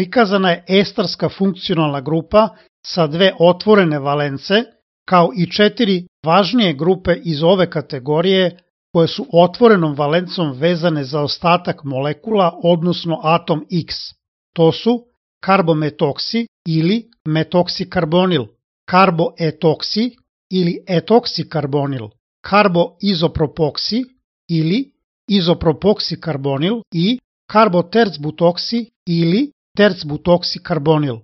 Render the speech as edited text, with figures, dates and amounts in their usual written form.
prikazana je estarska funkcionalna grupa sa 2 otvorene valence, kao i 4 važnije grupe iz ove kategorije koje su otvorenom valencom vezane za ostatak molekula, odnosno atom X. To su karbometoksi ili metoksikarbonil, karboetoksi ili etoksikarbonil, karboizopropoksi ili izopropoksikarbonil i karbotercbutoksi ili tercbutoksikarbonil.